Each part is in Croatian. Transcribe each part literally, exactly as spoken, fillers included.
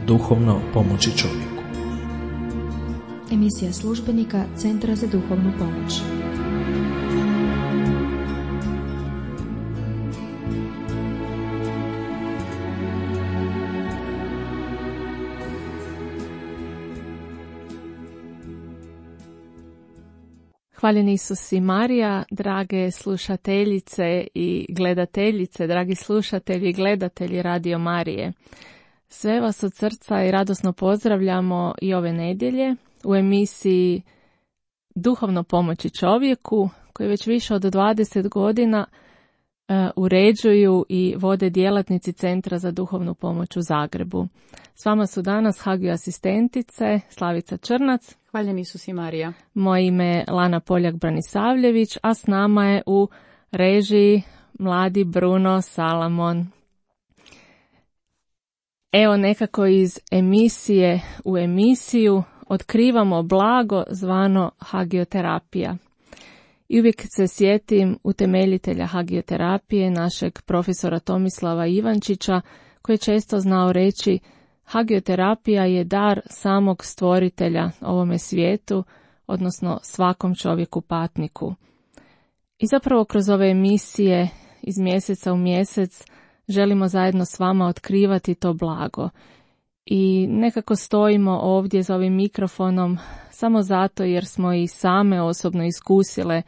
duhovno pomoći čovjeku. Emisija službenika Centra za duhovnu pomoć. Hvaljen Isus i Marija, drage slušateljice i gledateljice, dragi slušatelji i gledatelji Radio Marije. Sve vas od srca i radosno pozdravljamo i ove nedjelje u emisiji Duhovno pomoći čovjeku, koji već više od dvadeset godina uh, uređuju i vode djelatnici Centra za duhovnu pomoć u Zagrebu. S vama su danas Hagio asistentice Slavica Črnac. Hvaljen Isus i Marija. Moje ime je Lana Poljak-Branisavljević, a s nama je u režiji mladi Bruno Salamon. Evo nekako iz emisije u emisiju otkrivamo blago zvano hagioterapija. I uvijek se sjetim utemeljitelja hagioterapije, našeg profesora Tomislava Ivančića, koji je često znao reći: hagioterapija je dar samog stvoritelja ovome svijetu, odnosno svakom čovjeku patniku. I zapravo kroz ove emisije iz mjeseca u mjesec želimo zajedno s vama otkrivati to blago. I nekako stojimo ovdje za ovim mikrofonom samo zato jer smo i same osobno iskusile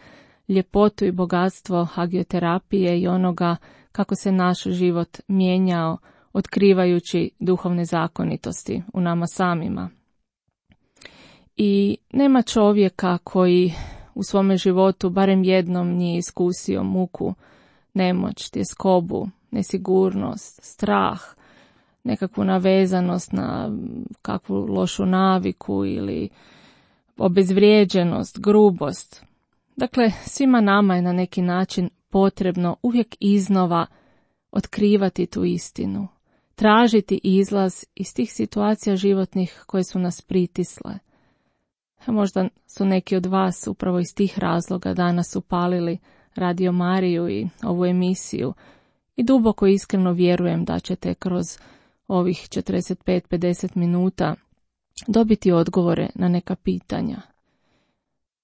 ljepotu i bogatstvo hagioterapije i onoga kako se naš život mijenjao otkrivajući duhovne zakonitosti u nama samima. I nema čovjeka koji u svome životu barem jednom nije iskusio muku, nemoć, tjeskobu, nesigurnost, strah, nekakvu navezanost na kakvu lošu naviku ili obezvrijeđenost, grubost. Dakle, svima nama je na neki način potrebno uvijek iznova otkrivati tu istinu, tražiti izlaz iz tih situacija životnih koje su nas pritisle. Možda su neki od vas upravo iz tih razloga danas upalili Radio Mariju i ovu emisiju i duboko iskreno vjerujem da ćete kroz ovih četrdeset pet do pedeset minuta dobiti odgovore na neka pitanja.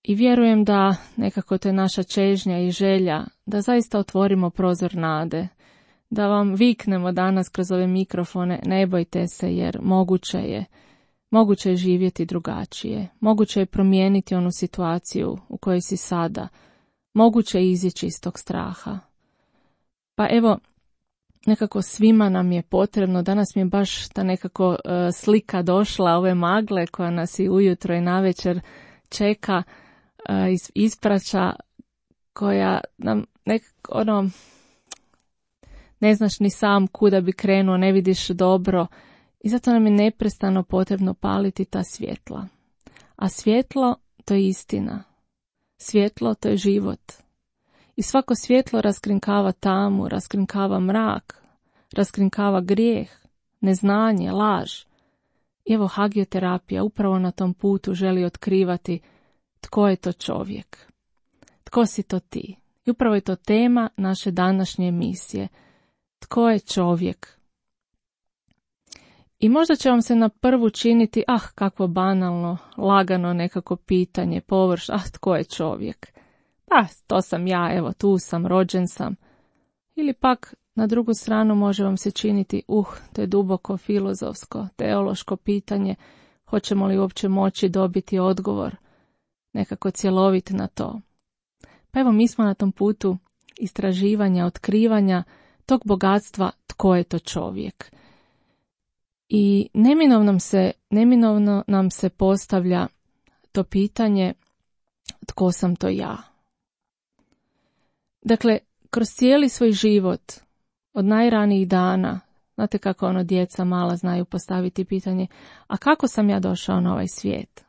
I vjerujem da nekako to je naša čežnja i želja da zaista otvorimo prozor nade, da vam viknemo danas kroz ove mikrofone: ne bojte se, jer moguće je, moguće je živjeti drugačije, moguće je promijeniti onu situaciju u kojoj si sada, moguće je izići iz tog straha. Pa evo, nekako svima nam je potrebno, danas mi je baš ta nekako uh, slika došla ove magle koja nas i ujutro i navečer čeka, uh, is, ispraća, koja nam nekako ono, ne znaš ni sam kuda bi krenuo, ne vidiš dobro i zato nam je neprestano potrebno paliti ta svjetla. A svjetlo, to je istina. Svjetlo, to je život. I svako svjetlo raskrinkava tamu, raskrinkava mrak, raskrinkava grijeh, neznanje, laž. I evo hagioterapija upravo na tom putu želi otkrivati tko je to čovjek. Tko si to ti? I upravo je to tema naše današnje emisije. Tko je čovjek? I možda će vam se na prvu činiti, ah, kakvo banalno, lagano nekako pitanje, površ, ah, tko je čovjek? Pa, to sam ja, evo, tu sam, rođen sam. Ili pak, na drugu stranu može vam se činiti, uh, to je duboko filozofsko, teološko pitanje, hoćemo li uopće moći dobiti odgovor, nekako cjelovit na to. Pa evo, mi smo na tom putu istraživanja, otkrivanja tog bogatstva tko je to čovjek. I neminovno nam se, neminovno nam se postavlja to pitanje tko sam to ja. Dakle, kroz cijeli svoj život, od najranijih dana, znate kako ono djeca mala znaju postaviti pitanje, a kako sam ja došao na ovaj svijet?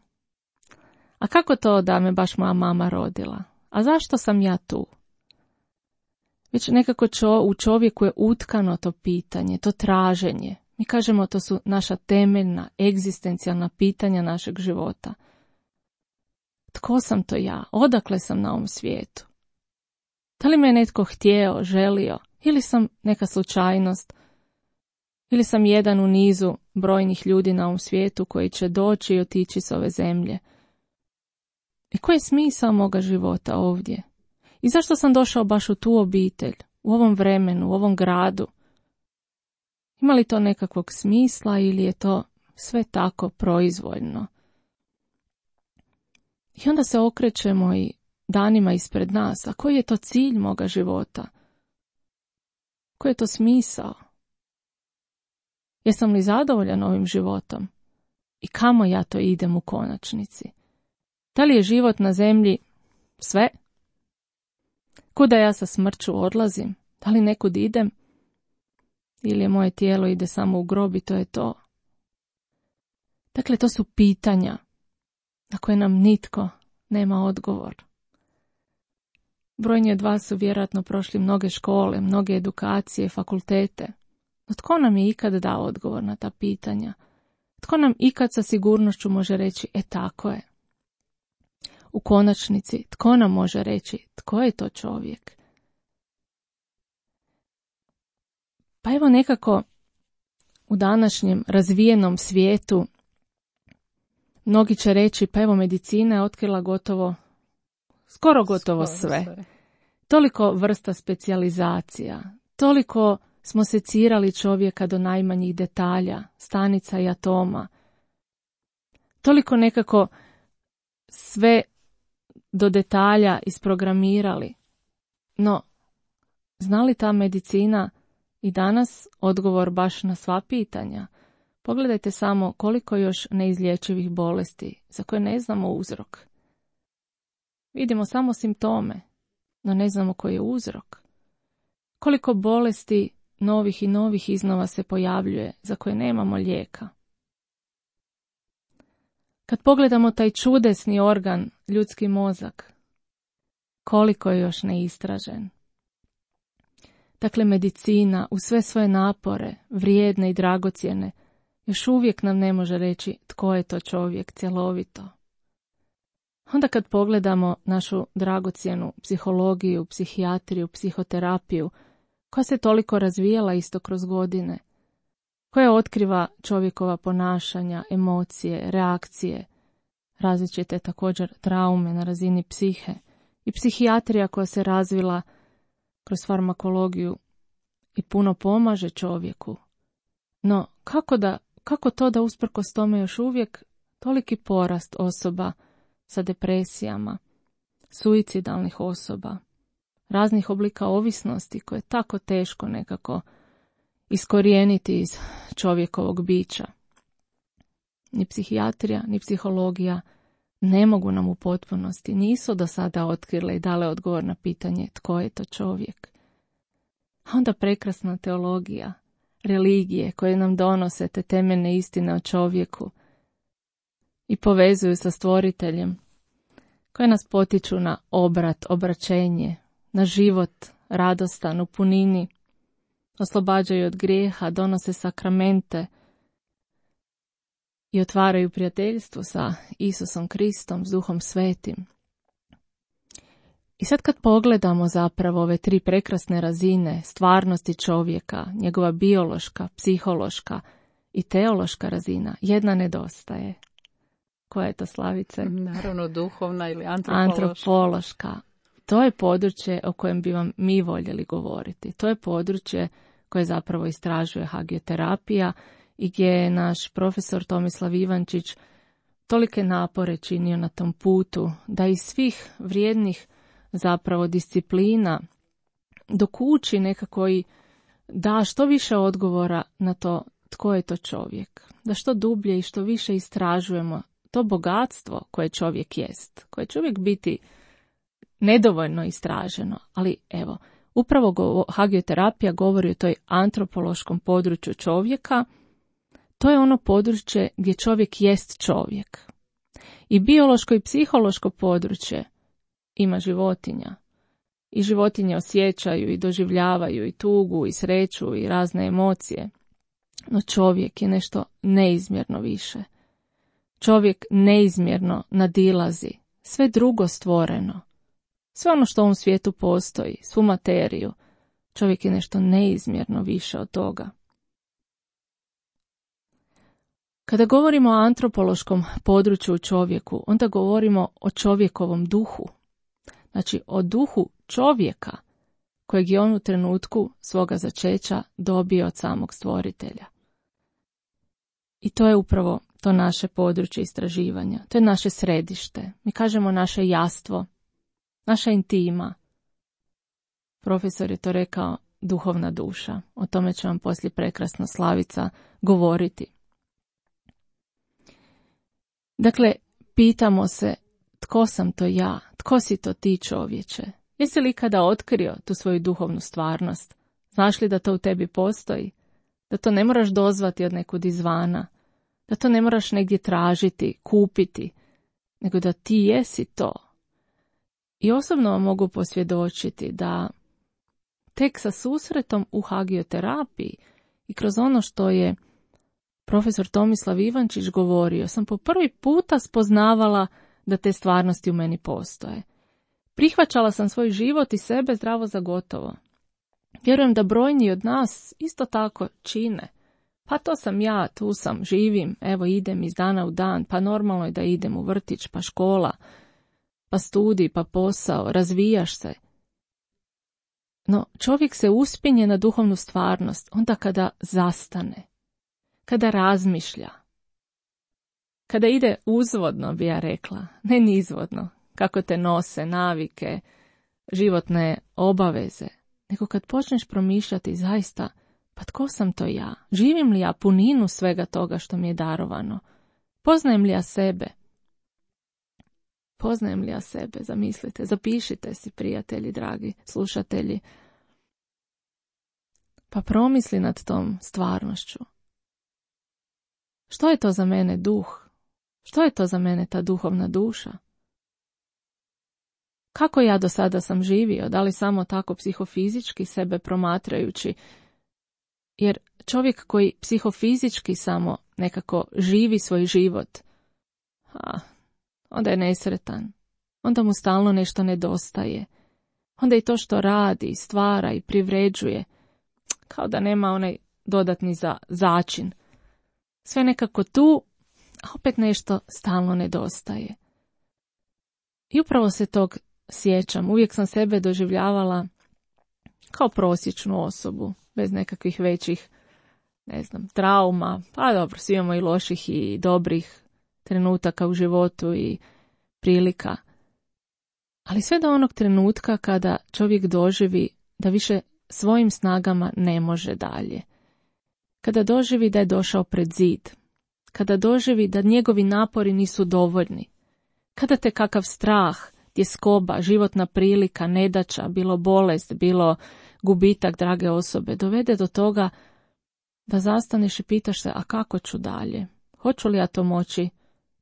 A kako to da me baš moja mama rodila? A zašto sam ja tu? Već nekako čo, u čovjeku je utkano to pitanje, to traženje. Mi kažemo to su naša temeljna, egzistencijalna pitanja našeg života. Tko sam to ja? Odakle sam na ovom svijetu? Da li me je netko htjeo, želio? Ili sam neka slučajnost? Ili sam jedan u nizu brojnih ljudi na ovom svijetu koji će doći i otići s ove zemlje? I koji je smisao moga života ovdje? I zašto sam došao baš u tu obitelj, u ovom vremenu, u ovom gradu? Ima li to nekakvog smisla ili je to sve tako proizvoljno? I onda se okrećemo i danima ispred nas, a koji je to cilj moga života? Koji je to smisao? Jesam li zadovoljan ovim životom? I kamo ja to idem u konačnici? Da li je život na zemlji sve? Kuda ja sa smrću odlazim? Da li nekud idem? Ili je moje tijelo ide samo u grob i to je to? Dakle, to su pitanja na koje nam nitko nema odgovor. Brojni od vas su vjerojatno prošli mnoge škole, mnoge edukacije, fakultete. No tko nam je ikad dao odgovor na ta pitanja? Tko nam ikad sa sigurnošću može reći, e tako je? U konačnici, tko nam može reći, tko je to čovjek? Pa evo nekako u današnjem razvijenom svijetu mnogi će reći, pa evo medicina je otkrila gotovo, skoro gotovo sve. sve. Toliko vrsta specijalizacija, toliko smo secirali čovjeka do najmanjih detalja, stanica i atoma. Toliko nekako sve do detalja isprogramirali. No, zna li ta medicina i danas odgovor baš na sva pitanja? Pogledajte samo koliko još neizlječivih bolesti za koje ne znamo uzrok. Vidimo samo simptome, no ne znamo koji je uzrok. Koliko bolesti novih i novih iznova se pojavljuje za koje nemamo lijeka. Kad pogledamo taj čudesni organ, ljudski mozak, koliko je još neistražen. Dakle, medicina u sve svoje napore, vrijedne i dragocjene, još uvijek nam ne može reći tko je to čovjek cjelovito. Onda kad pogledamo našu dragocjenu psihologiju, psihijatriju, psihoterapiju, koja se toliko razvijala isto kroz godine, koja otkriva čovjekova ponašanja, emocije, reakcije, različite također traume na razini psihe i psihijatrija koja se razvila kroz farmakologiju i puno pomaže čovjeku. No, kako, da, kako to da usprkos tome još uvijek toliki porast osoba sa depresijama, suicidalnih osoba, raznih oblika ovisnosti koje je tako teško nekako iskorijeniti iz čovjekovog bića. Ni psihijatrija, ni psihologija ne mogu nam u potpunosti, nisu do sada otkrile i dale odgovor na pitanje tko je to čovjek. A onda prekrasna teologija, religije koje nam donose te temeljne istine o čovjeku i povezuju sa stvoriteljem, koje nas potiču na obrat, obraćenje, na život radostan u punini, oslobađaju od grijeha, donose sakramente i otvaraju prijateljstvo sa Isusom Kristom, s Duhom Svetim. I sad kad pogledamo zapravo ove tri prekrasne razine stvarnosti čovjeka, njegova biološka, psihološka i teološka razina, jedna nedostaje. Koja je to, Slavice? Naravno duhovna ili antropološka. Antropološka. To je područje o kojem bi vam mi voljeli govoriti. To je područje koje zapravo istražuje hagioterapija i gdje je naš profesor Tomislav Ivančić tolike napore činio na tom putu da iz svih vrijednih zapravo disciplina dokući nekako i da što više odgovora na to tko je to čovjek. Da što dublje i što više istražujemo to bogatstvo koje čovjek jest, koje će uvijek biti nedovoljno istraženo, ali evo, upravo go, hagioterapija govori o toj antropološkom području čovjeka. To je ono područje gdje čovjek jest čovjek. I biološko i psihološko područje ima životinja. I životinje osjećaju i doživljavaju i tugu i sreću i razne emocije. No čovjek je nešto neizmjerno više. Čovjek neizmjerno nadilazi sve drugo stvoreno. Sve ono što u ovom svijetu postoji, svu materiju, čovjek je nešto neizmjerno više od toga. Kada govorimo o antropološkom području u čovjeku, onda govorimo o čovjekovom duhu. Znači o duhu čovjeka kojeg je on u trenutku svoga začeća dobio od samog stvoritelja. I to je upravo to naše područje istraživanja. To je naše središte. Mi kažemo naše jastvo, naša intima. Profesor je to rekao duhovna duša. O tome će vam poslije prekrasno Slavica govoriti. Dakle, pitamo se tko sam to ja, tko si to ti čovječe? Jesi li ikada otkrio tu svoju duhovnu stvarnost? Znaš li da to u tebi postoji? Da to ne moraš dozvati od nekud izvana? Da to ne moraš negdje tražiti, kupiti? Nego da ti jesi to? I osobno vam mogu posvjedočiti da tek sa susretom u hagioterapiji i kroz ono što je profesor Tomislav Ivančić govorio, sam po prvi puta spoznavala da te stvarnosti u meni postoje. Prihvaćala sam svoj život i sebe zdravo za gotovo. Vjerujem da brojni od nas isto tako čine. Pa to sam ja, tu sam, živim, evo idem iz dana u dan, pa normalno je da idem u vrtić, pa škola, pa studij, pa posao, razvijaš se. No čovjek se uspinje na duhovnu stvarnost onda kada zastane, kada razmišlja, kada ide uzvodno, bi ja rekla, ne nizvodno, kako te nose navike, životne obaveze, nego kad počneš promišljati zaista, pa tko sam to ja? Živim li ja puninu svega toga što mi je darovano? Poznajem li ja sebe? Poznajem li ja sebe? Zamislite, zapišite si, prijatelji, dragi slušatelji. Pa promisli nad tom stvarnošću. Što je to za mene duh? Što je to za mene ta duhovna duša? Kako ja do sada sam živio? Da li samo tako psihofizički sebe promatrajući? Jer čovjek koji psihofizički samo nekako živi svoj život, a, onda je nesretan. Onda mu stalno nešto nedostaje. Onda i to što radi, stvara i privređuje, kao da nema onaj dodatni za, začin. Sve nekako tu, a opet nešto stalno nedostaje. I upravo se tog sjećam. Uvijek sam sebe doživljavala kao prosječnu osobu, bez nekakvih većih, ne znam, trauma. Pa dobro, svi imamo i loših i dobrih trenutaka u životu i prilika. Ali sve do onog trenutka kada čovjek doživi da više svojim snagama ne može dalje. Kada doživi da je došao pred zid. Kada doživi da njegovi napori nisu dovoljni. Kada te kakav strah, tjeskoba, životna prilika, nedaća, bilo bolest, bilo gubitak drage osobe, dovede do toga da zastaneš i pitaš se, a kako ću dalje? Hoću li ja to moći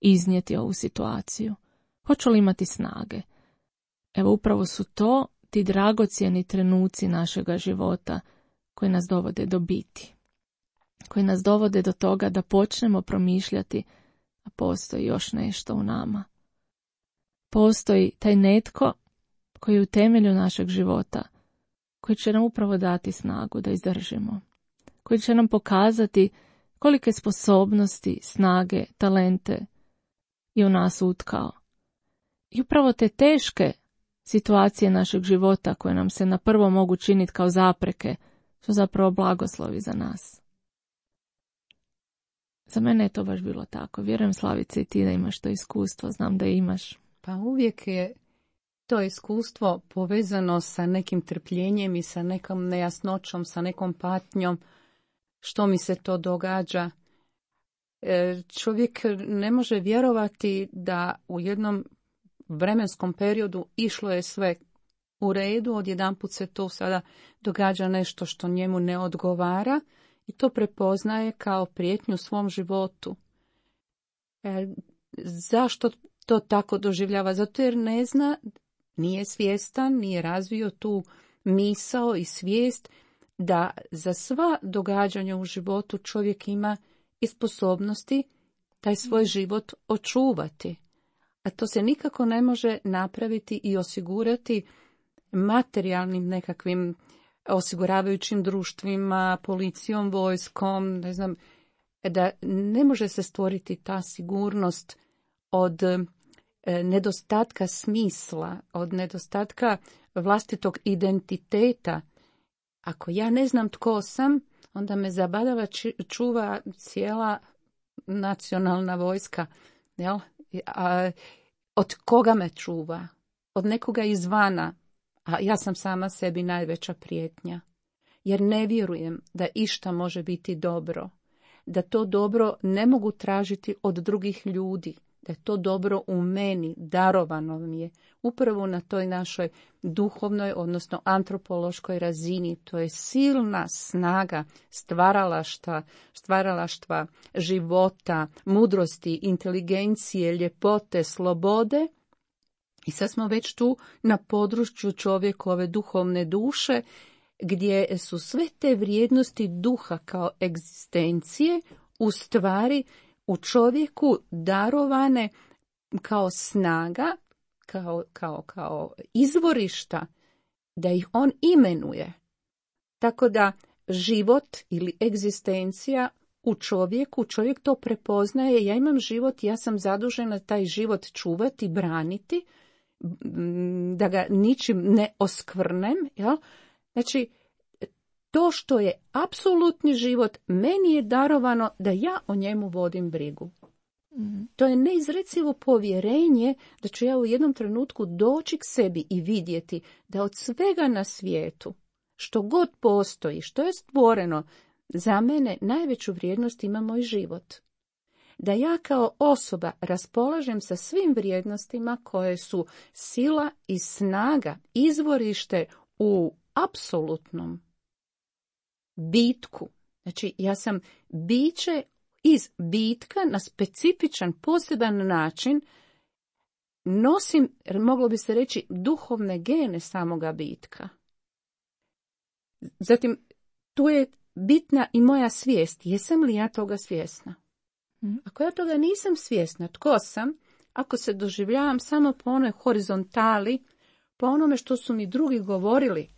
iznijeti ovu situaciju? Hoću li imati snage? Evo upravo su to ti dragocjeni trenuci našega života koji nas dovode do biti. Koji nas dovode do toga da počnemo promišljati, a postoji još nešto u nama. Postoji taj netko koji je u temelju našeg života, koji će nam upravo dati snagu da izdržimo, koji će nam pokazati kolike sposobnosti, snage, talente je u nas utkao. I upravo te teške situacije našeg života koje nam se na prvo mogu činiti kao zapreke su zapravo blagoslovi za nas. Za mene je to baš bilo tako. Vjerujem, Slavice, i ti da imaš to iskustvo, znam da imaš. Pa uvijek je to iskustvo povezano sa nekim trpljenjem i sa nekom nejasnoćom, sa nekom patnjom, što mi se to događa. Čovjek ne može vjerovati da u jednom vremenskom periodu išlo je sve u redu, odjedanput se to sada događa nešto što njemu ne odgovara i to prepoznaje kao prijetnju svom životu. E, zašto to tako doživljava? Zato jer ne zna, nije svjestan, nije razvio tu misao i svijest da za sva događanja u životu čovjek ima i sposobnosti taj svoj život očuvati. A to se nikako ne može napraviti i osigurati materijalnim nekakvim osiguravajućim društvima, policijom, vojskom, ne znam, da ne može se stvoriti ta sigurnost od nedostatka smisla, od nedostatka vlastitog identiteta. Ako ja ne znam tko sam, onda me zabadava čuva cijela nacionalna vojska. Jel? A od koga me čuva? Od nekoga izvana. A ja sam sama sebi najveća prijetnja. Jer ne vjerujem da išta može biti dobro. Da to dobro ne mogu tražiti od drugih ljudi. Da je to dobro u meni, darovano mi je. Upravo na toj našoj duhovnoj, odnosno antropološkoj razini. To je silna snaga stvaralaštva, stvaralaštva života, mudrosti, inteligencije, ljepote, slobode. I sad smo već tu na području čovjekove duhovne duše, gdje su sve te vrijednosti duha kao egzistencije u stvari u čovjeku darovane kao snaga, kao, kao, kao izvorišta, da ih on imenuje. Tako da život ili egzistencija u čovjeku, čovjek to prepoznaje, ja imam život, ja sam zadužena taj život čuvati, braniti, da ga ničim ne oskvrnem. Jel? Znači, to što je apsolutni život, meni je darovano da ja o njemu vodim brigu. Mm-hmm. To je neizrecivo povjerenje da ću ja u jednom trenutku doći k sebi i vidjeti da od svega na svijetu, što god postoji, što je stvoreno, za mene najveću vrijednost ima moj život. Da ja kao osoba raspolažem sa svim vrijednostima koje su sila i snaga, izvorište u apsolutnom bitku. Znači, ja sam biće iz bitka na specifičan, poseban način, nosim, moglo bi se reći, duhovne gene samoga bitka. Zatim, tu je bitna i moja svijest. Jesam li ja toga svjesna? Ako ja toga nisam svjesna, tko sam, ako se doživljavam samo po onoj horizontali, po onome što su mi drugi govorili,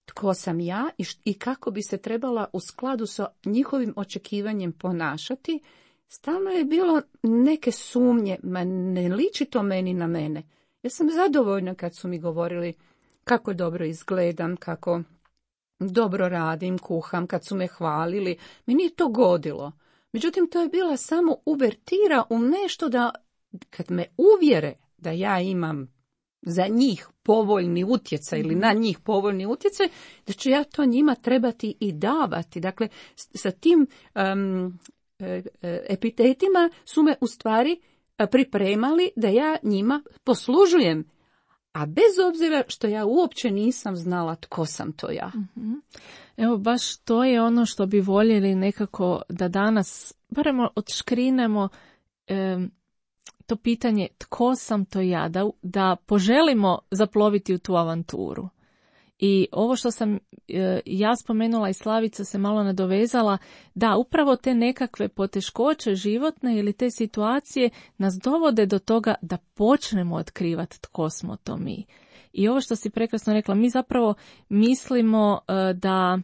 tko sam ja i, š- i kako bi se trebala u skladu sa njihovim očekivanjem ponašati, stalno je bilo neke sumnje, ma ne liči to meni na mene. Ja sam zadovoljna kad su mi govorili kako dobro izgledam, kako dobro radim, kuham, kad su me hvalili. Meni je to godilo. Međutim, to je bila samo uvertira u nešto da, kad me uvjere da ja imam za njih povoljni utjecaj ili na njih povoljni utjecaj, da ću ja to njima trebati i davati. Dakle, sa tim um, epitetima su me u stvari pripremali da ja njima poslužujem. A bez obzira što ja uopće nisam znala tko sam to ja. Mm-hmm. Evo, baš to je ono što bi voljeli nekako da danas, barem odškrinemo e, to pitanje tko sam to ja, da, da poželimo zaploviti u tu avanturu. I ovo što sam e, ja spomenula i Slavica se malo nadovezala, da upravo te nekakve poteškoće životne ili te situacije nas dovode do toga da počnemo otkrivati tko smo to mi. I ovo što si prekrasno rekla, mi zapravo mislimo e, da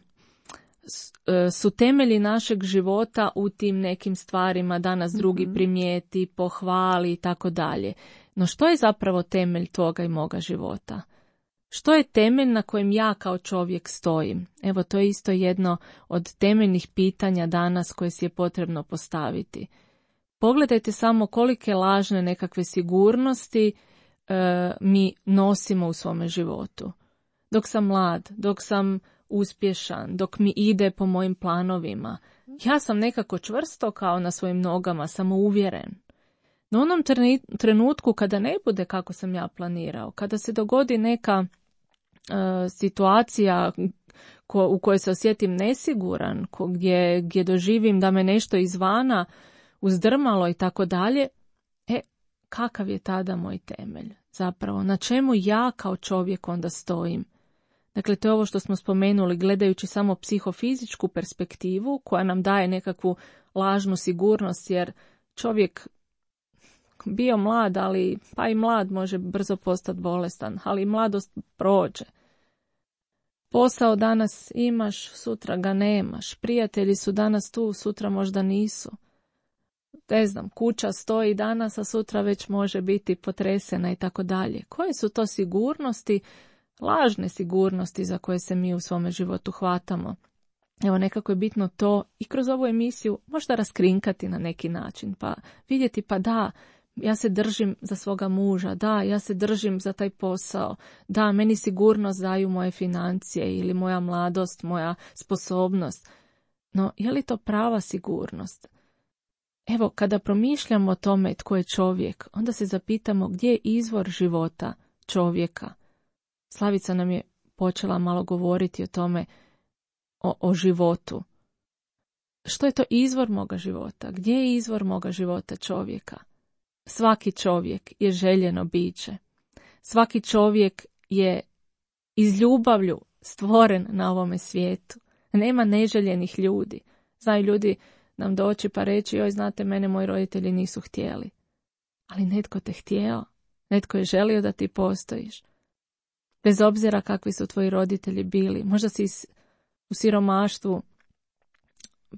e, su temelji našeg života u tim nekim stvarima da nas drugi mm-hmm. primijeti, pohvali i tako dalje. No što je zapravo temelj toga i moga života? Što je temelj na kojem ja kao čovjek stojim? Evo, to je isto jedno od temeljnih pitanja danas koje si je potrebno postaviti. Pogledajte samo kolike lažne nekakve sigurnosti e, mi nosimo u svome životu. Dok sam mlad, dok sam uspješan, dok mi ide po mojim planovima, ja sam nekako čvrsto kao na svojim nogama, samouvjeren. No u onom trenutku kada ne bude kako sam ja planirao, kada se dogodi neka uh, situacija ko, u kojoj se osjetim nesiguran, ko, gdje, gdje doživim da me nešto izvana uzdrmalo i tako dalje, e, kakav je tada moj temelj? Zapravo, na čemu ja kao čovjek onda stojim? Dakle, to je ovo što smo spomenuli, gledajući samo psihofizičku perspektivu koja nam daje nekakvu lažnu sigurnost, jer čovjek bio mlad, ali pa i mlad može brzo postati bolestan, ali mladost prođe. Posao danas imaš, sutra ga nemaš. Prijatelji su danas tu, sutra možda nisu. Ne znam, kuća stoji danas, a sutra već može biti potresena i tako dalje. Koje su to sigurnosti, lažne sigurnosti za koje se mi u svome životu hvatamo? Evo, nekako je bitno to i kroz ovu emisiju možda raskrinkati na neki način, pa vidjeti pa da, ja se držim za svoga muža, da, ja se držim za taj posao, da, meni sigurnost daju moje financije ili moja mladost, moja sposobnost. No, je li to prava sigurnost? Evo, kada promišljamo o tome tko je čovjek, onda se zapitamo gdje je izvor života čovjeka. Slavica nam je počela malo govoriti o tome, o, o životu. Što je to izvor moga života? Gdje je izvor moga života čovjeka? Svaki čovjek je željeno biće. Svaki čovjek je iz ljubavlju stvoren na ovome svijetu. Nema neželjenih ljudi. Znaju ljudi nam doći pa reći, joj, znate, mene moji roditelji nisu htjeli. Ali netko te htjeo. Netko je želio da ti postojiš. Bez obzira kakvi su tvoji roditelji bili. Možda si u siromaštvu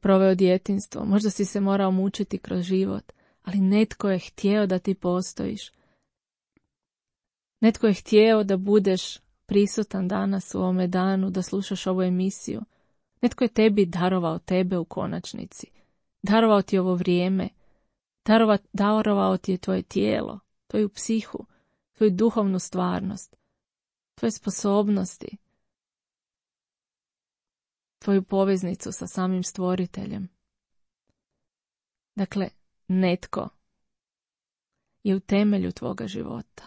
proveo djetinjstvo. Možda si se morao mučiti kroz život. Ali netko je htjeo da ti postojiš. Netko je htjeo da budeš prisutan danas u ovome danu, da slušaš ovu emisiju. Netko je tebi darovao tebe u konačnici. Darovao ti ovo vrijeme. Darova, darovao ti je tvoje tijelo, tvoju psihu, tvoju duhovnu stvarnost, tvoje sposobnosti, tvoju poveznicu sa samim stvoriteljem. Dakle, netko je u temelju tvoga života.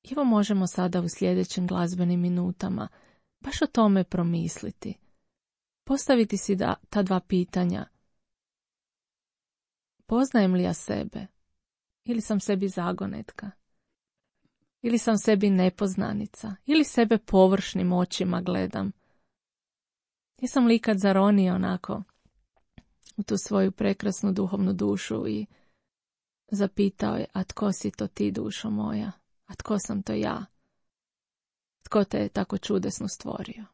I evo možemo sada u sljedećim glazbenim minutama baš o tome promisliti. Postaviti si da, ta dva pitanja. Poznajem li ja sebe? Ili sam sebi zagonetka? Ili sam sebi nepoznanica? Ili sebe površnim očima gledam? Jesam li ikad zaronio onako u tu svoju prekrasnu duhovnu dušu i zapitao je, a tko si to ti, dušo moja? A tko sam to ja? Tko te je tako čudesno stvorio?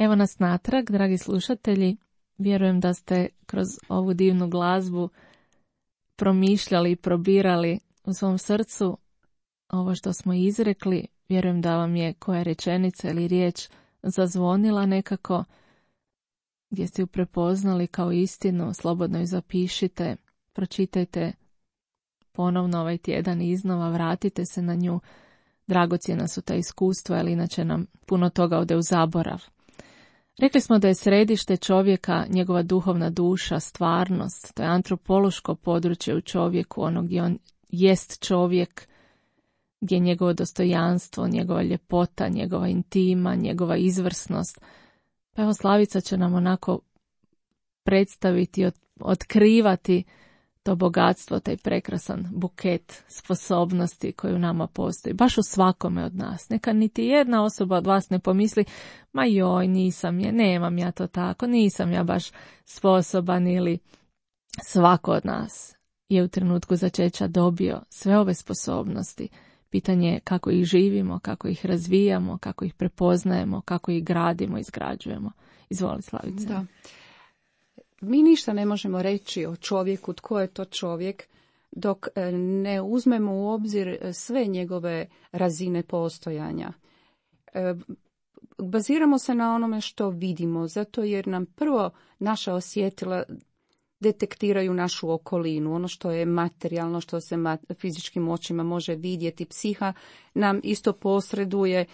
Evo nas natrag, dragi slušatelji. Vjerujem da ste kroz ovu divnu glazbu promišljali i probirali u svom srcu ovo što smo izrekli. Vjerujem da vam je koja rečenica ili riječ zazvonila nekako, gdje ste ju prepoznali kao istinu. Slobodno ju zapišite, pročitajte ponovno ovaj tjedan iznova, vratite se na nju. Dragocjena su ta iskustva, ali inače nam puno toga ode u zaborav. Rekli smo da je središte čovjeka njegova duhovna duša, stvarnost. To je antropološko područje u čovjeku, ono gdje on jest čovjek, gdje je njegovo dostojanstvo, njegova ljepota, njegova intima, njegova izvrsnost. Pa evo Slavica će nam onako predstaviti, od, otkrivati to bogatstvo, taj prekrasan buket sposobnosti koji u nama postoji, baš u svakome od nas. Neka niti jedna osoba od vas ne pomisli, ma joj, nisam je, nemam ja to tako, nisam ja baš sposoban, ili svako od nas je u trenutku začeća dobio sve ove sposobnosti. Pitanje je kako ih živimo, kako ih razvijamo, kako ih prepoznajemo, kako ih gradimo, izgrađujemo. Izvoli, Slavice. Da. Mi ništa ne možemo reći o čovjeku, tko je to čovjek, dok ne uzmemo u obzir sve njegove razine postojanja. Baziramo se na onome što vidimo, zato jer nam prvo naša osjetila detektiraju našu okolinu, ono što je materijalno, što se fizičkim očima može vidjeti. Psiha nam isto posreduje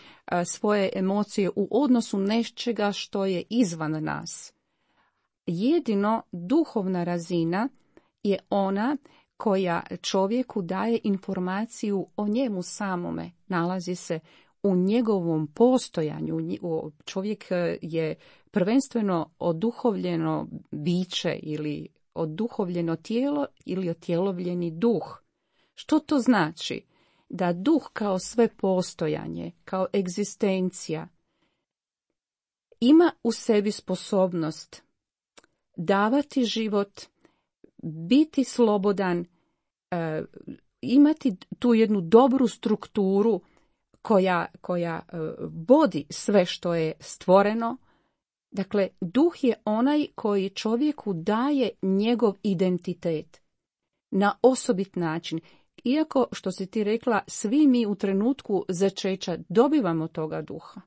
svoje emocije u odnosu nečega što je izvan nas. Jedino duhovna razina je ona koja čovjeku daje informaciju o njemu samome, nalazi se u njegovom postojanju. Čovjek je prvenstveno oduhovljeno biće ili oduhovljeno tijelo ili otjelovljeni duh. Što to znači? Da duh kao sve postojanje, kao egzistencija, ima u sebi sposobnost davati život, biti slobodan, e, imati tu jednu dobru strukturu koja, koja e, vodi sve što je stvoreno. Dakle, duh je onaj koji čovjeku daje njegov identitet na osobit način. Iako, što si ti rekla, svi mi u trenutku začeća dobivamo toga duha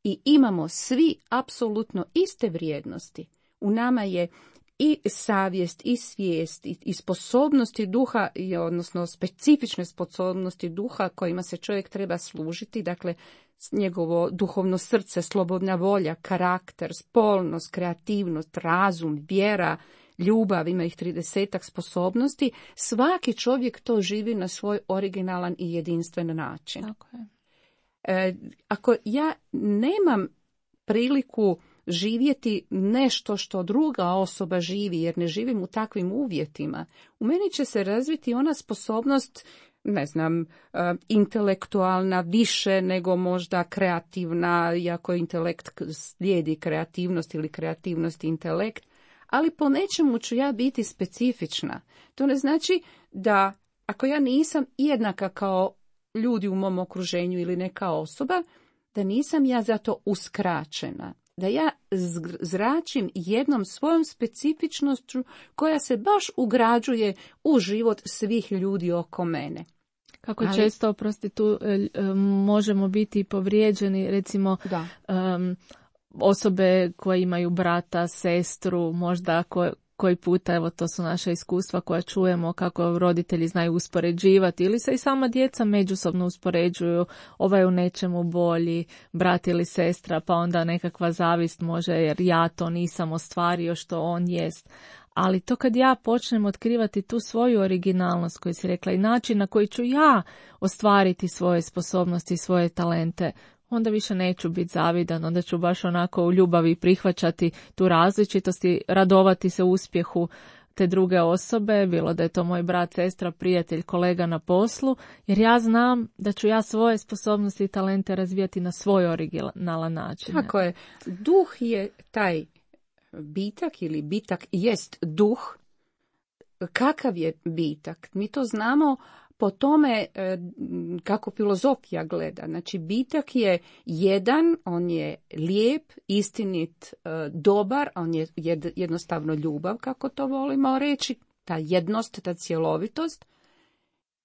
i imamo svi apsolutno iste vrijednosti. U nama je i savjest, i svijest, i, i sposobnosti duha, i, odnosno specifične sposobnosti duha kojima se čovjek treba služiti, dakle njegovo duhovno srce, slobodna volja, karakter, spolnost, kreativnost, razum, vjera, ljubav, ima ih tridesetak sposobnosti. Svaki čovjek to živi na svoj originalan i jedinstven način. Tako je. E, ako ja nemam priliku živjeti nešto što druga osoba živi, jer ne živim u takvim uvjetima, u meni će se razviti ona sposobnost, ne znam, intelektualna više nego možda kreativna, iako intelekt slijedi kreativnost ili kreativnost intelekt, ali po nečemu ću ja biti specifična. To ne znači da ako ja nisam jednaka kao ljudi u mom okruženju ili neka osoba, da nisam ja zato uskraćena. Da ja zračim jednom svojom specifičnošću koja se baš ugrađuje u život svih ljudi oko mene. Kako Ali, često, oprosti, tu možemo biti povrijeđeni, recimo um, osobe koje imaju brata, sestru, možda koje, koji puta, evo to su naša iskustva koja čujemo kako roditelji znaju uspoređivati ili se i sama djeca međusobno uspoređuju, ovaj u nečemu bolji, brat ili sestra, pa onda nekakva zavist može jer ja to nisam ostvario što on jest. Ali to kad ja počnem otkrivati tu svoju originalnost koju si rekla i način na koji ću ja ostvariti svoje sposobnosti, svoje talente, onda više neću biti zavidan, onda ću baš onako u ljubavi prihvaćati tu različitost i radovati se uspjehu te druge osobe, bilo da je to moj brat, sestra, prijatelj, kolega na poslu, jer ja znam da ću ja svoje sposobnosti i talente razvijati na svoj originalan način. Tako je. Duh je taj bitak ili bitak jest duh. Kakav je bitak? Mi to znamo po tome kako filozofija gleda. Znači, bitak je jedan, on je lijep, istinit, dobar, on je jednostavno ljubav, kako to volimo reći, ta jednost, ta cjelovitost.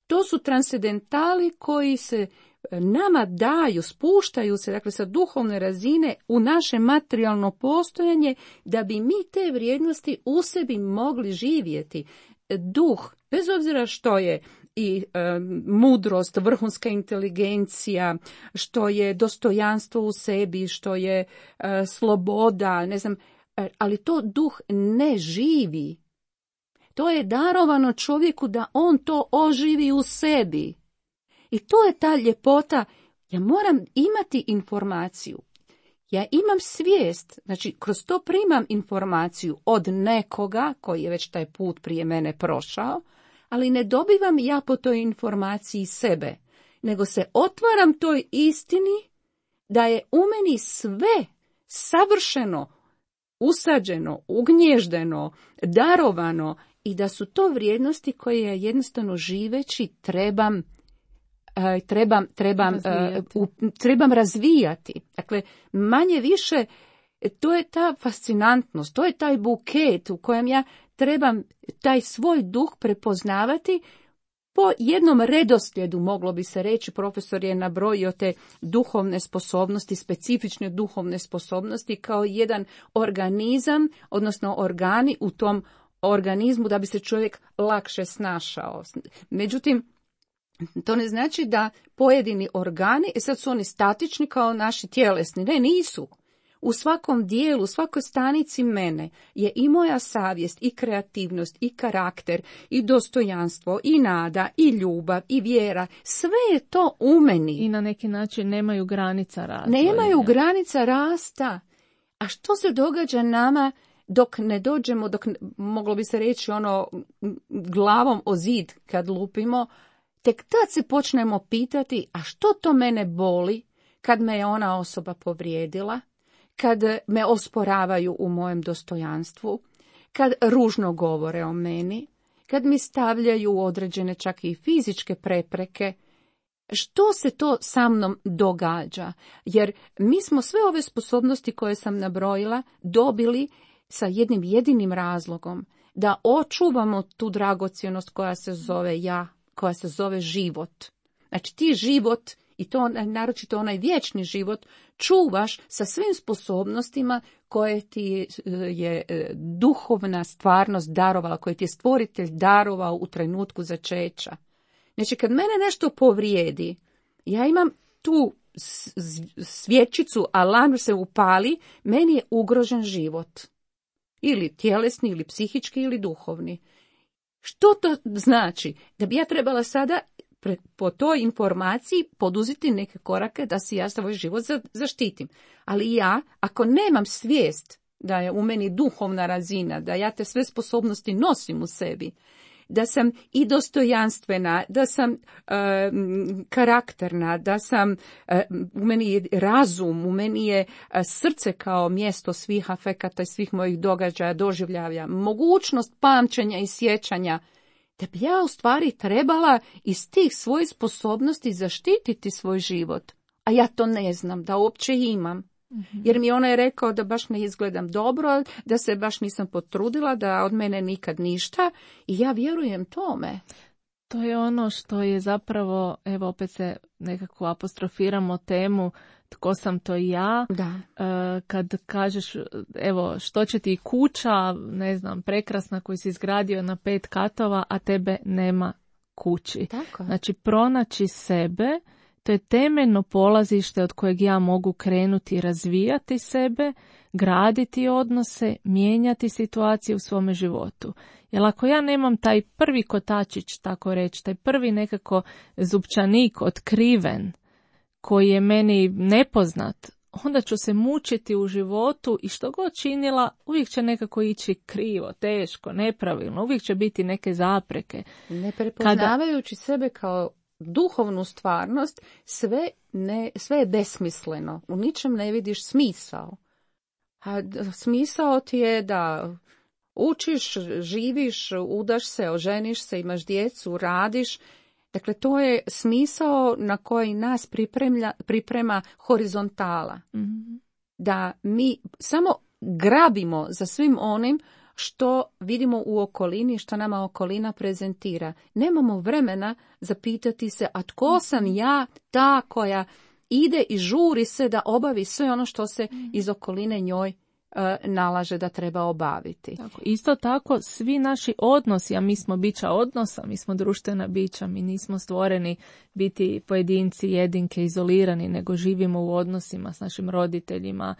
To su transcendentali koji se nama daju, spuštaju se, dakle, sa duhovne razine u naše materijalno postojanje, da bi mi te vrijednosti u sebi mogli živjeti. Duh, bez obzira što je i e, mudrost, vrhunska inteligencija, što je dostojanstvo u sebi, što je e, sloboda, ne znam, e, ali to duh ne živi. To je darovano čovjeku da on to oživi u sebi. I to je ta ljepota. Ja moram imati informaciju. Ja imam svijest, znači kroz to primam informaciju od nekoga koji je već taj put prije mene prošao, ali ne dobivam ja po toj informaciji sebe, nego se otvaram toj istini da je u meni sve savršeno, usađeno, ugnježdeno, darovano i da su to vrijednosti koje ja jednostavno živeći trebam trebam, trebam, razvijati. Uh, trebam razvijati. Dakle, manje više, to je ta fascinantnost, to je taj buket u kojem ja trebam taj svoj duh prepoznavati po jednom redoslijedu, moglo bi se reći. Profesor je nabrojio te duhovne sposobnosti, specifične duhovne sposobnosti kao jedan organizam, odnosno organi u tom organizmu da bi se čovjek lakše snašao. Međutim, to ne znači da pojedini organi, e sad su oni statični kao naši tjelesni. Ne, nisu. U svakom dijelu, u svakoj stanici mene je i moja savjest, i kreativnost, i karakter, i dostojanstvo, i nada, i ljubav, i vjera. Sve je to u meni. I na neki način nemaju granica rasta. Nemaju granica rasta. A što se događa nama dok ne dođemo, dok moglo bi se reći ono glavom o zid kad lupimo, tek tad se počnemo pitati, a što to mene boli kad me je ona osoba povrijedila, kad me osporavaju u mojem dostojanstvu, kad ružno govore o meni, kad mi stavljaju određene čak i fizičke prepreke. Što se to sa mnom događa? Jer mi smo sve ove sposobnosti koje sam nabrojila dobili sa jednim jedinim razlogom, da očuvamo tu dragocjenost koja se zove ja, koja se zove život. Znači ti život, i to naročito onaj vječni život, čuvaš sa svim sposobnostima koje ti je duhovna stvarnost darovala, koje ti je stvoritelj darovao u trenutku začeća. Znači kad mene nešto povrijedi, ja imam tu svječicu, alarm se upali, meni je ugrožen život. Ili tjelesni, ili psihički, ili duhovni. Što to znači? Da bi ja trebala sada po toj informaciji poduzeti neke korake da si ja svoj život zaštitim. Ali ja, ako nemam svijest da je u meni duhovna razina, da ja te sve sposobnosti nosim u sebi, da sam i dostojanstvena, da sam e, karakterna, da sam, e, u meni je razum, u meni je srce kao mjesto svih afekata i svih mojih događaja, doživljaja, mogućnost pamćenja i sjećanja, da bi ja u stvari trebala iz tih svojih sposobnosti zaštititi svoj život. A ja to ne znam, da uopće imam. Jer mi ona je rekao da baš ne izgledam dobro, da se baš nisam potrudila, da od mene nikad ništa i ja vjerujem tome. To je ono što je zapravo, evo opet se nekako apostrofiramo temu tko sam to ja. Da. E, kad kažeš, evo, što će ti kuća, ne znam, prekrasna koju si izgradio na pet katova, a tebe nema kući. Tako. Znači, pronaći sebe, to je temeljno polazište od kojeg ja mogu krenuti razvijati sebe, graditi odnose, mijenjati situacije u svome životu. Jer ako ja nemam taj prvi kotačić, tako reći, taj prvi nekako zupčanik otkriven, koji je meni nepoznat, onda ću se mučiti u životu i što god činila, uvijek će nekako ići krivo, teško, nepravilno, uvijek će biti neke zapreke. Ne prepoznavajući Kada... sebe kao duhovnu stvarnost, sve, ne, sve je besmisleno. U ničem ne vidiš smisao. A smisao ti je da učiš, živiš, udaš se, oženiš se, imaš djecu, radiš, Dakle, to je smisao na koji nas pripremlja, priprema horizontala. Mhm. Da mi samo grabimo za svim onim što vidimo u okolini, što nama okolina prezentira. Nemamo vremena zapitati se, a tko sam ja, ta koja ide i žuri se da obavi sve ono što se iz okoline njoj e, nalaže da treba obaviti. Tako, isto tako, svi naši odnosi, a mi smo bića odnosa, mi smo društvena bića, mi nismo stvoreni biti pojedinci, jedinke, izolirani, nego živimo u odnosima s našim roditeljima,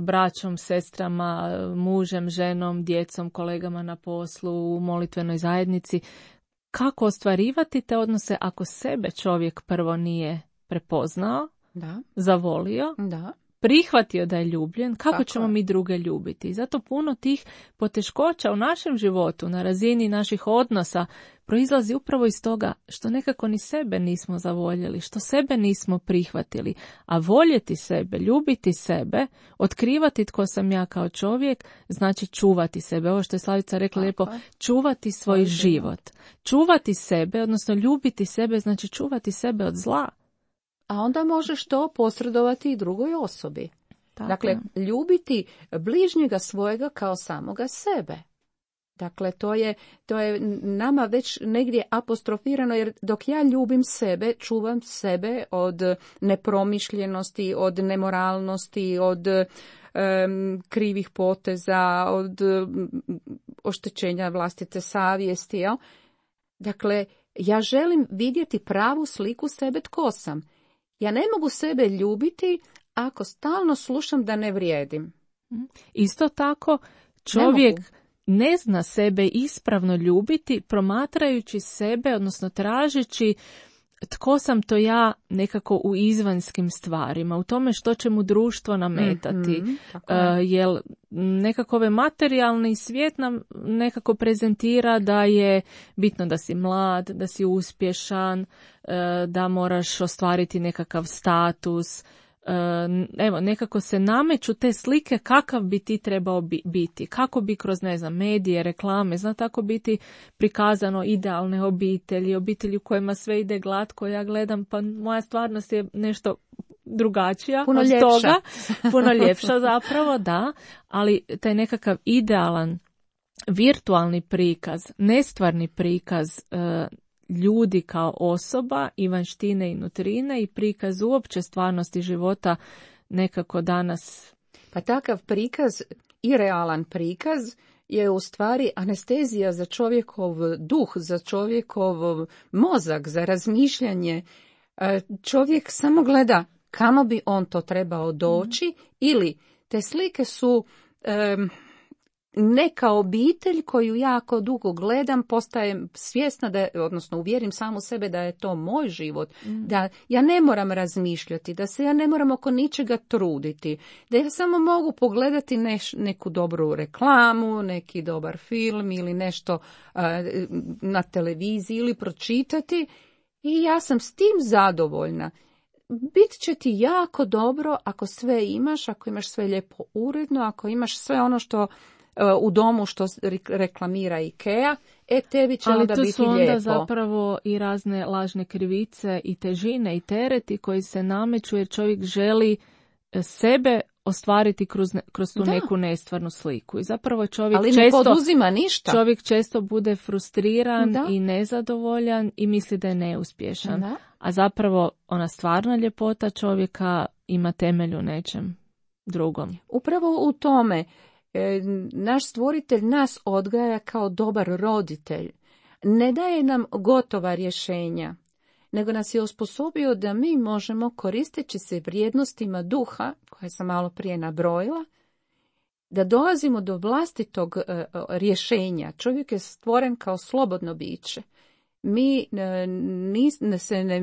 braćom, sestrama, mužem, ženom, djecom, kolegama na poslu, u molitvenoj zajednici. Kako ostvarivati te odnose ako sebe čovjek prvo nije prepoznao, Da. zavolio, Da. prihvatio da je ljubljen, kako Tako ćemo je. mi druge ljubiti? I zato puno tih poteškoća u našem životu, na razini naših odnosa, proizlazi upravo iz toga što nekako ni sebe nismo zavoljeli, što sebe nismo prihvatili. A voljeti sebe, ljubiti sebe, otkrivati tko sam ja kao čovjek, znači čuvati sebe. Ovo što je Slavica rekla Tako lijepo, je. čuvati svoj Svoj život. Čuvati sebe, odnosno ljubiti sebe, znači čuvati sebe od zla. A onda možeš to posredovati i drugoj osobi. Tako Dakle, je. ljubiti bližnjega svojega kao samoga sebe. Dakle, to je, to je nama već negdje apostrofirano, jer dok ja ljubim sebe, čuvam sebe od nepromišljenosti, od nemoralnosti, od um, krivih poteza, od um, oštećenja vlastite savjesti. Jel? Dakle, ja želim vidjeti pravu sliku sebe tko sam. Ja ne mogu sebe ljubiti ako stalno slušam da ne vrijedim. Isto tako, čovjek Ne ne zna sebe ispravno ljubiti promatrajući sebe, odnosno tražeći tko sam to ja nekako u izvanjskim stvarima, u tome što će mu društvo nametati. Mhm, tako je. Uh, jer nekako ovaj materijalni svijet nam nekako prezentira da je bitno da si mlad, da si uspješan, uh, da moraš ostvariti nekakav status. Uh, evo, nekako se nameću te slike kakav bi ti trebao bi, biti, kako bi kroz, ne znam, medije, reklame, zna tako biti prikazano idealne obitelji, obitelji u kojima sve ide glatko, ja gledam, pa moja stvarnost je nešto drugačija Puno od ljepša. toga, puno ljepša zapravo, da, ali taj nekakav idealan virtualni prikaz, nestvarni prikaz uh, ljudi kao osoba i vanjštine i nutrine i prikaz uopće stvarnosti života nekako danas. Pa takav prikaz i realan prikaz je u stvari anestezija za čovjekov duh, za čovjekov mozak, za razmišljanje. Čovjek samo gleda kamo bi on to trebao doći, mm. ili te slike su um, neka obitelj koju jako dugo gledam, postajem svjesna, da je, odnosno uvjerim samu sebe da je to moj život, mm. da ja ne moram razmišljati, da se ja ne moram oko ničega truditi, da ja samo mogu pogledati neš, neku dobru reklamu, neki dobar film ili nešto uh, na televiziji ili pročitati i ja sam s tim zadovoljna. Bit će ti jako dobro ako sve imaš, ako imaš sve lijepo uredno, ako imaš sve ono što u domu što reklamira IKEA, e tebi će ali onda biti lijepo. Ali tu su onda zapravo i razne lažne krivice i težine i tereti koji se nameću jer čovjek želi sebe ostvariti kroz, kroz tu da. neku nestvarnu sliku. I zapravo čovjek ali često, ne poduzima ništa. Čovjek često bude frustriran da. i nezadovoljan i misli da je neuspješan. Da. A zapravo ona stvarna ljepota čovjeka ima temelj u nečem drugom. Upravo u tome. Naš stvoritelj nas odgaja kao dobar roditelj. Ne daje nam gotova rješenja, nego nas je osposobio da mi možemo, koristeći se vrijednostima duha, koje sam malo prije nabrojila, da dolazimo do vlastitog rješenja. Čovjek je stvoren kao slobodno biće. Mi nis, ne, se ne,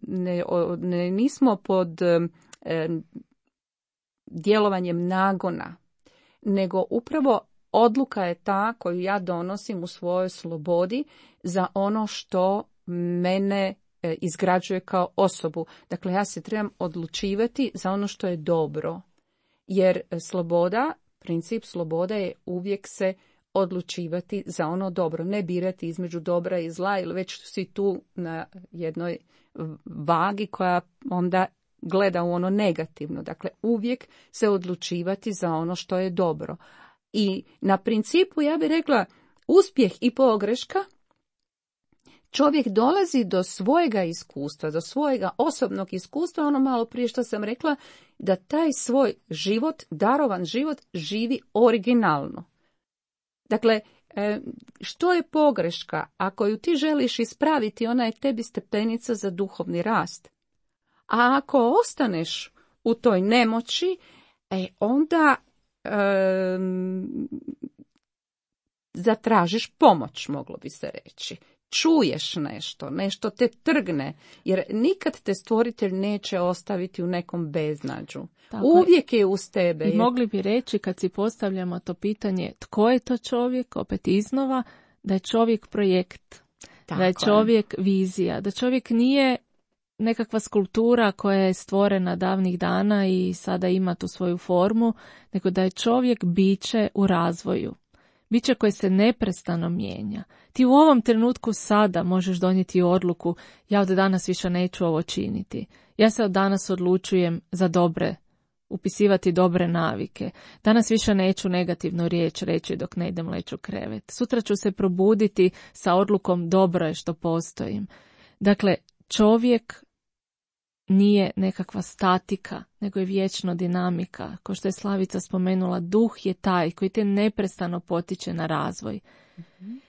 ne, ne, nismo pod eh, djelovanjem nagona, nego upravo odluka je ta koju ja donosim u svojoj slobodi za ono što mene izgrađuje kao osobu. Dakle, ja se trebam odlučivati za ono što je dobro. Jer sloboda, princip slobode je uvijek se odlučivati za ono dobro, ne birati između dobra i zla, ili već si tu na jednoj vagi koja onda gleda u ono negativno. Dakle, uvijek se odlučivati za ono što je dobro. I na principu, ja bih rekla, uspjeh i pogreška, čovjek dolazi do svojega iskustva, do svojega osobnog iskustva, ono malo prije što sam rekla, da taj svoj život, darovan život, živi originalno. Dakle, što je pogreška? Ako ju ti želiš ispraviti, ona je tebi stepenica za duhovni rast. A ako ostaneš u toj nemoći, e, onda um, zatražiš pomoć, moglo bi se reći. Čuješ nešto, nešto te trgne, jer nikad te stvoritelj neće ostaviti u nekom beznađu. Tako uvijek je uz tebe. I mogli bi reći, kad si postavljamo to pitanje tko je to čovjek, opet iznova, da je čovjek projekt, tako da je čovjek je. vizija, da čovjek nije nekakva skulptura koja je stvorena davnih dana i sada ima tu svoju formu, nego da je čovjek biće u razvoju. Biće koje se neprestano mijenja. Ti u ovom trenutku sada možeš donijeti odluku, ja od danas više neću ovo činiti. Ja se od danas odlučujem za dobre, upisivati dobre navike. Danas više neću negativnu riječ reći dok ne idem leći u krevet. Sutra ću se probuditi sa odlukom dobro je što postojim. Dakle, čovjek nije nekakva statika, nego je vječno dinamika. Kao što je Slavica spomenula, duh je taj koji te neprestano potiče na razvoj. Mm-hmm.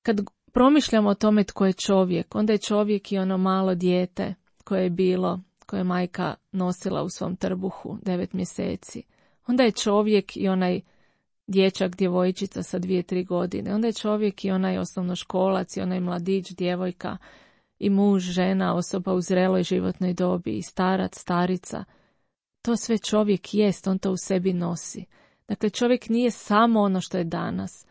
Kad promišljamo o tome tko je čovjek, onda je čovjek i ono malo dijete koje je bilo, koje je majka nosila u svom trbuhu devet mjeseci. Onda je čovjek i onaj dječak, djevojčica sa dvije, tri godine. Onda je čovjek i onaj osnovnoškolac i onaj mladić, djevojka, i muž, žena, osoba u zreloj životnoj dobi, i starac, starica. To sve čovjek jest, on to u sebi nosi. Dakle, čovjek nije samo ono što je danas.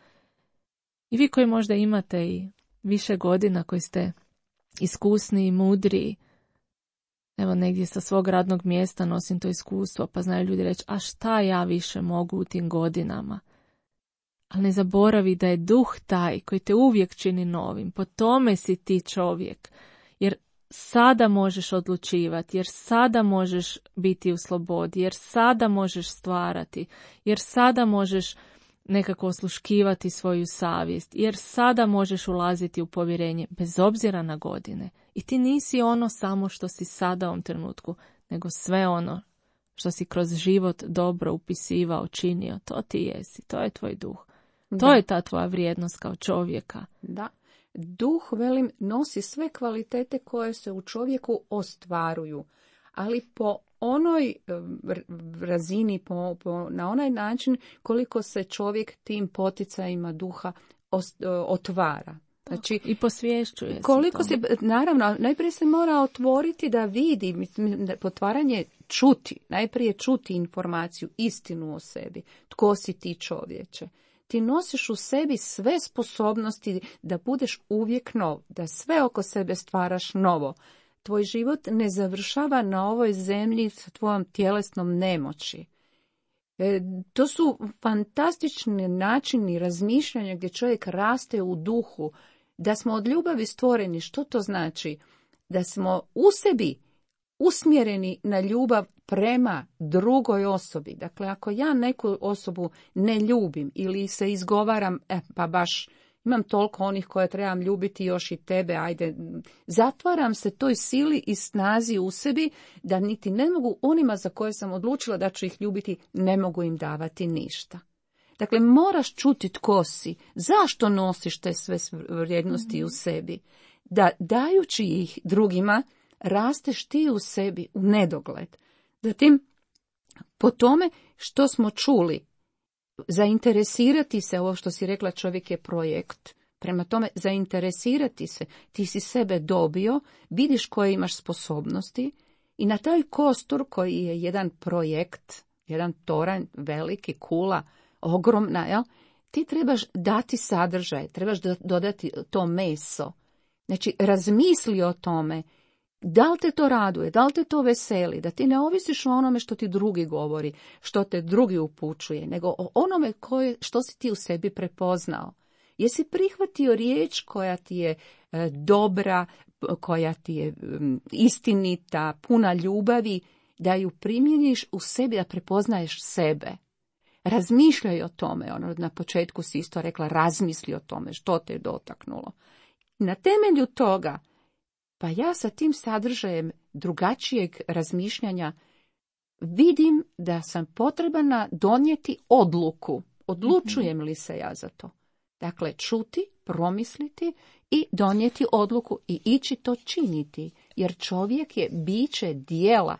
I vi koji možda imate i više godina, koji ste iskusni i mudri, evo negdje sa svog radnog mjesta nosim to iskustvo, pa znaju ljudi reći, a šta ja više mogu u tim godinama? Ali ne zaboravi da je duh taj koji te uvijek čini novim. Po tome si ti čovjek. Jer sada možeš odlučivati, jer sada možeš biti u slobodi, jer sada možeš stvarati, jer sada možeš nekako osluškivati svoju savjest, jer sada možeš ulaziti u povjerenje bez obzira na godine. I ti nisi ono samo što si sada u ovom trenutku, nego sve ono što si kroz život dobro upisivao, činio. To ti jesi, to je tvoj duh. To da. je ta tvoja vrijednost kao čovjeka. Da. Duh, velim, nosi sve kvalitete koje se u čovjeku ostvaruju, ali po onoj razini, po, po, na onaj način koliko se čovjek tim poticajima duha ost, otvara. Znači, i posvješćuje se. Koliko se, naravno, najprije se mora otvoriti da vidi, mislim, potvaranje čuti, najprije čuti informaciju, istinu o sebi. Tko si ti, čovječe? Ti nosiš u sebi sve sposobnosti da budeš uvijek nov, da sve oko sebe stvaraš novo. Tvoj život ne završava na ovoj zemlji sa tvojom tjelesnom nemoći. E, to su fantastični načini razmišljanja gdje čovjek raste u duhu. Da smo od ljubavi stvoreni, što to znači? Da smo u sebi usmjereni na ljubav prema drugoj osobi. Dakle, ako ja neku osobu ne ljubim ili se izgovaram, e, pa baš imam toliko onih koje trebam ljubiti, još i tebe, ajde, zatvaram se toj sili i snazi u sebi da niti ne mogu onima za koje sam odlučila da ću ih ljubiti, ne mogu im davati ništa. Dakle, moraš čuti tko si, zašto nosiš te sve vrijednosti mm-hmm. u sebi, da dajući ih drugima, rasteš ti u sebi u nedogled. Zatim, po tome što smo čuli, zainteresirati se, ovo što si rekla, čovjek je projekt. Prema tome, zainteresirati se, ti si sebe dobio, vidiš koje imaš sposobnosti i na taj kostur koji je jedan projekt, jedan toranj, veliki, kula, ogromna, jel? Ti trebaš dati sadržaj, trebaš dodati to meso. Znači, razmisli o tome. Da li te to raduje, da li te to veseli, da ti ne ovisiš o onome što ti drugi govori, što te drugi upućuje, nego o onome koje, što si ti u sebi prepoznao. Jesi prihvatio riječ koja ti je e, dobra, koja ti je m, istinita, puna ljubavi, da ju primjeniš u sebi, da prepoznaješ sebe. Razmišljaj o tome, ono na početku si isto rekla, razmisli o tome što te je dotaknulo. Na temelju toga, pa ja sa tim sadržajem drugačijeg razmišljanja vidim da sam potrebna donijeti odluku. Odlučujem li se ja za to? Dakle, čuti, promisliti i donijeti odluku i ići to činiti. Jer čovjek je biće dijela.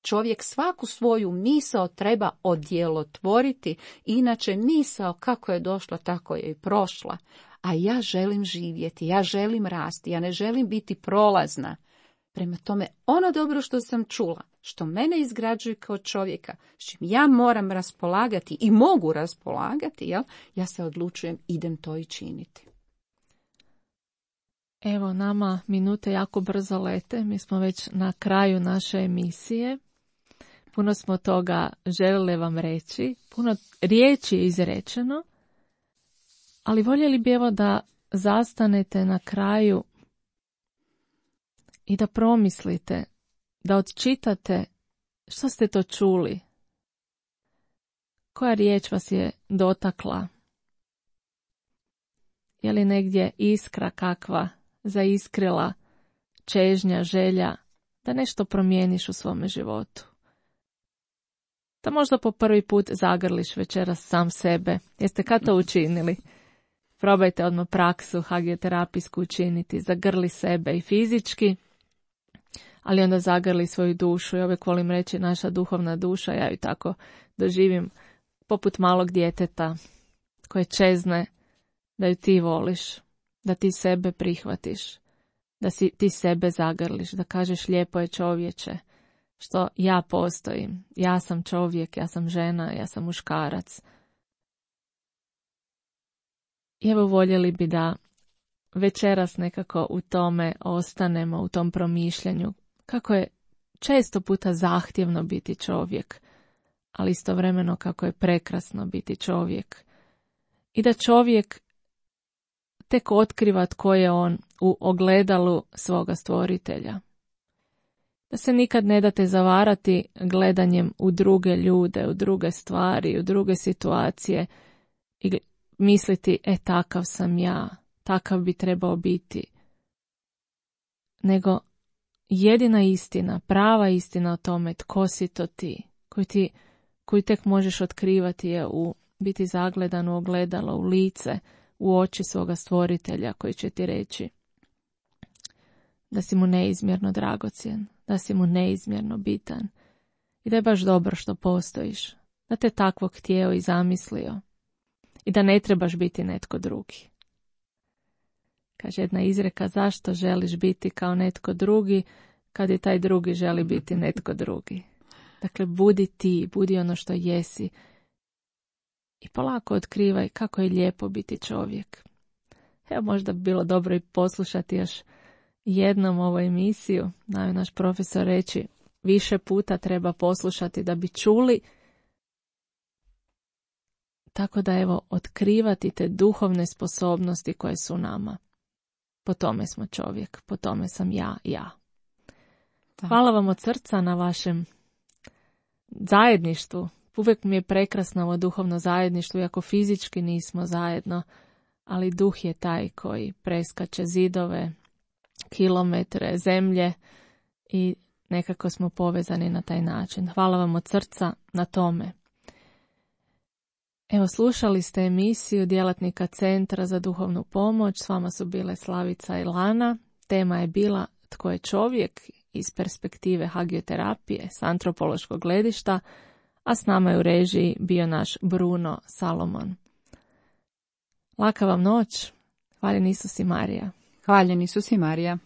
Čovjek svaku svoju misao treba odjelotvoriti, inače misao kako je došla, tako je i prošla. A ja želim živjeti, ja želim rasti, ja ne želim biti prolazna. Prema tome, ono dobro što sam čula, što mene izgrađuje kao čovjeka, s čim ja moram raspolagati i mogu raspolagati, jel? Ja se odlučujem, idem to i činiti. Evo, nama minute jako brzo lete, mi smo već na kraju naše emisije. Puno smo toga željeli vam reći, puno riječi je izrečeno, ali voljeli bi evo da zastanete na kraju i da promislite, da odčitate što ste to čuli, koja riječ vas je dotakla, je li negdje iskra kakva zaiskrila, čežnja, želja da nešto promijeniš u svome životu. Da možda po prvi put zagrliš večeras sam sebe. Jeste kad to učinili? Probajte odmah praksu hagioterapijsku učiniti. Zagrli sebe i fizički, ali onda zagrli svoju dušu. Ja uvijek volim reći naša duhovna duša, ja ju tako doživim poput malog djeteta koje čezne da ju ti voliš, da ti sebe prihvatiš, da si ti sebe zagrliš, da kažeš lijepo je čovječe, što ja postojim, ja sam čovjek, ja sam žena, ja sam muškarac. I evo voljeli bi da večeras nekako u tome ostanemo, u tom promišljanju, kako je često puta zahtjevno biti čovjek, ali istovremeno kako je prekrasno biti čovjek. I da čovjek tek otkriva tko je on u ogledalu svoga stvoritelja. Da se nikad ne date zavarati gledanjem u druge ljude, u druge stvari, u druge situacije i misliti, e, takav sam ja, takav bi trebao biti. Nego jedina istina, prava istina o tome tko si to ti, koju ti, koju tek možeš otkrivati je u biti zagledan u ogledalo, u lice, u oči svoga stvoritelja koji će ti reći da si mu neizmjerno dragocjen, da si mu neizmjerno bitan i da je baš dobro što postojiš, da te takvog htjeo i zamislio i da ne trebaš biti netko drugi. Kaže jedna izreka, zašto želiš biti kao netko drugi kad i taj drugi želi biti netko drugi. Dakle, budi ti, budi ono što jesi i polako otkrivaj kako je lijepo biti čovjek. Evo, možda bi bilo dobro i poslušati još jednom ovu emisiju. Znaju naš profesor reći, više puta treba poslušati da bi čuli. Tako da evo, otkrivati te duhovne sposobnosti koje su nama. Po tome smo čovjek, po tome sam ja, ja. Da. Hvala vam od srca na vašem zajedništvu. Uvijek mi je prekrasno ovo duhovno zajedništvo, iako fizički nismo zajedno, ali duh je taj koji preskače zidove, kilometre, zemlje i nekako smo povezani na taj način. Hvala vam od srca na tome. Evo, slušali ste emisiju djelatnika Centra za duhovnu pomoć. S vama su bile Slavica i Lana. Tema je bila tko je čovjek iz perspektive hagioterapije s antropološkog gledišta, a s nama je u režiji bio naš Bruno Salomon. Laka vam noć. Hvaljen Isus i Marija. Hvaljen Isus i Marija.